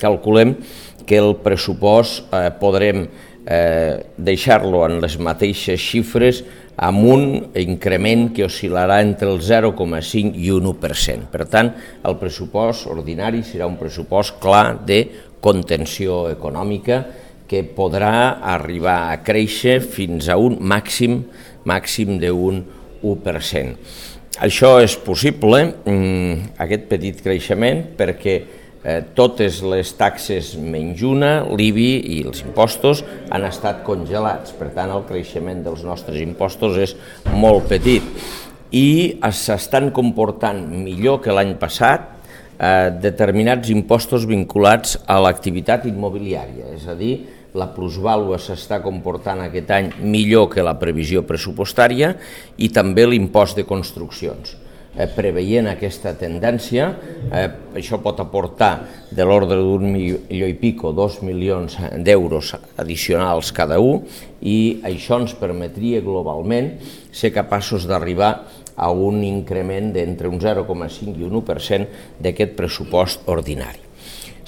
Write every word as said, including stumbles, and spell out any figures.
calculem que el pressupost eh, podrem eh, deixar-lo en les mateixes xifres amb un increment que oscil·larà entre el zero coma cinc i un u per cent. Per tant, el pressupost ordinari serà un pressupost clar de contenció econòmica que podrà arribar a créixer fins a un màxim, màxim d'un u per cent. Això és possible, aquest petit creixement, perquè eh, totes les taxes menys una, l'I B I i els impostos han estat congelats. Per tant, el creixement dels nostres impostos és molt petit i s'estan comportant millor que l'any passat eh, determinats impostos vinculats a l'activitat immobiliària, és a dir, la plusvàlua s'està comportant aquest any millor que la previsió pressupostària i també l'impost de construccions. Eh, preveient aquesta tendència, eh, això pot aportar de l'ordre d'un milió i pico, dos milions d'euros addicionals cada un, i això ens permetria globalment ser capaços d'arribar a un increment d'entre un zero coma cinc i un u per cent d'aquest pressupost ordinari.